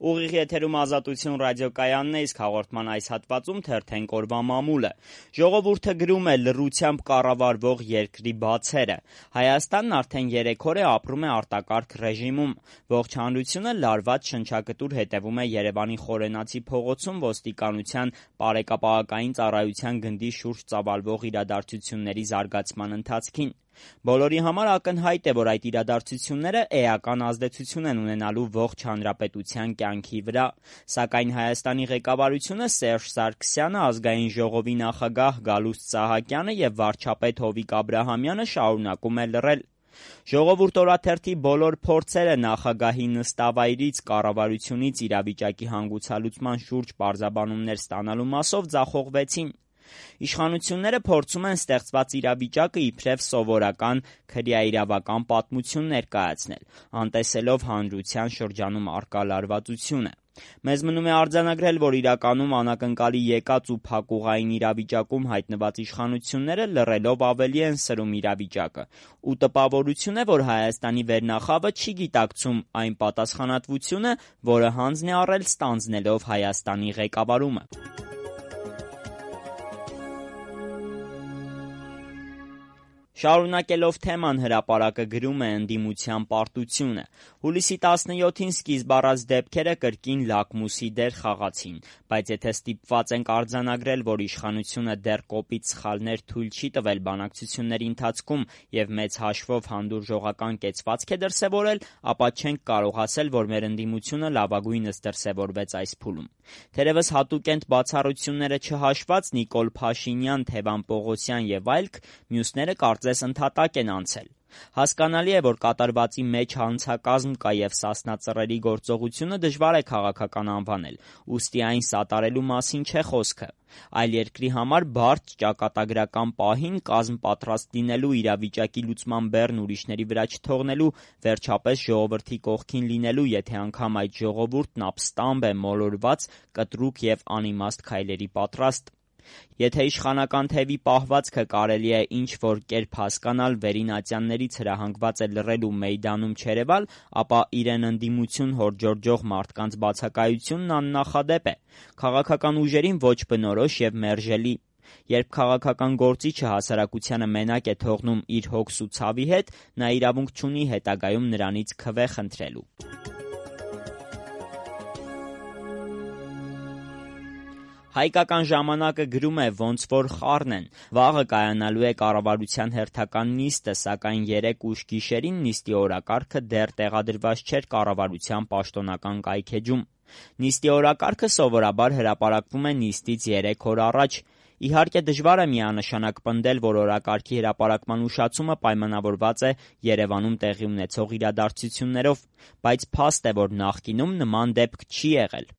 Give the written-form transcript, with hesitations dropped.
Ուղիղ եթերում Ազատություն ռադիոկայանն է, իսկ հաղորդման այս հատվածում թերթենք օրվա մամուլը։ Ժողովուրդը գրում է լռությամբ կառավարվող երկրի բացերը։ Հայաստանն արդեն 3 օր է ապրում է արտակարգ ռեժիմում։ Ողջ հանրությունը լարված շնչակտուր հետևում է Երևանի Խորենացի փողոցում ոստիկանության պարեկապահական ծառայության գնդի շուրջ ծավալվող իրադարձությունների զարգացման ընթացքին։ Բոլորի համար ակնհայտ է, որ այդ իրադարձությունները էական ազդեցություն են ունենալու ողջ հանրապետության կյանքի վրա, սակայն Հայաստանի ղեկավարությունը Սերժ Սարգսյանը, Ազգային ժողովի նախագահ Գալուստ Սահակյանը եւ վարչապետ Հովիկ Աբրահամյանը շարունակում է լռել։ Ժողովուրդ օրաթերթի բոլոր փորձերը նախագահի նստավայրից, կառավարությունից իրավիճակի հանգուցալուծման շուրջ պարզաբանումներ ստանալու մասով ձախողվեցին։ Իշխանությունները փորձում են ստեղծված իրավիճակը իբրև սովորական քրեաիրավական պատմություն ներկայացնել, անտեսելով հանրության շրջանում առկա լարվածությունը։ Մեզ մնում է արձանագրել, որ իրականում անակնկալի եկած ու փակուղային իրավիճակում հայտնված իշխանությունները լռելով ավելի են սրում իրավիճակը, ու տպավորություն է, որ Հայաստանի վերնախավը չի գիտակցում այն պատասխանատվությունը, որը հանձն է առել ստանձնելով Հայաստանի ղեկավարումը։ Շարունակելով թեման, հրապարակը գրում է ընդդիմության պարտությունը։ Հուլիսի 17-ին սկիզբ առած դեպքերը կրկին լակմուսի դեր խաղացին, բայց եթե ստիպված ենք արձանագրել, որ իշխանությունը դեռ կոպիտ սխալներ թույլ չի տվել բանակցությունների ընթացքում եւ մեծ հաշվով հանդուրժողական կեցվածք է դրսեւորել, ապա չենք կարող ասել, որ մեր ընդդիմությունը լավագույնս դրսեւորվեց այս փուլում։ Թերևս հատուկենտ բացառությունները չհաշված Նիկոլ Փաշինյան, Թևան Պողոսյան եւ այլք, մյուսները կարծես ընդհատակ են անցել։ Հասկանալի է, որ կատարվածի մեջ հանցակազմ կա եւ Սասնա ծռերի գործողությունը դժվար է քաղաքական անվանել, ուստի այն սատարելու մասին չէ խոսքը։ Այլ երկրի համար բարդ ճակատագրական պահին կազմ պատրաստ լինելու, իրավիճակի լուծման բեռն ուրիշների վրա չթողնելու, վերջապես ժողովրդի կողքին լինելու, եթե անգամ այդ ժողովուրդն ապստամբ է, մոլորված, կտրուկ եւ անիմաստ քայլերի պատրաստ։ Եթե իշխանական թևի պահվածքը կարելի է ինչ-որ կերպ հասկանալ, վերինատյաններից հրահանգված է լռել ու մեյդանում չերևալ, ապա իրեն ընդդիմություն հորդժորջող մարդկանց բացակայությունն աննախադեպ է, քաղաքական ուժերին ոչ բնորոշ եւ մերժելի։ Երբ քաղաքական գործիչը հասարակությանը մենակ է թողնում իր հոգս ու ցավի հետ, նա իրավունք չունի հետագայում նրանից քվե խնդրելու։ Հայկական ժամանակը գրում է, ոնց որ խառն են։ Վաղը կայանալու է կառավարության հերթական նիստը, սակայն 3 ուշ գիշերին նիստի օրակարգը դեռ տեղադրված չէր կառավարության պաշտոնական կայքէջում։ Նիստի օրակարգը սովորաբար հրապարակվում է նիստից 3 օր առաջ։ Իհարկե դժվար է միանշանակ պնդել, որ օրակարգի հրապարակման ուշացումը պայմանավորված է Երևանում տեղի ունեցող իրադարձություններով, բայց փաստ է, որ նախկինում նման դեպք չի եղել։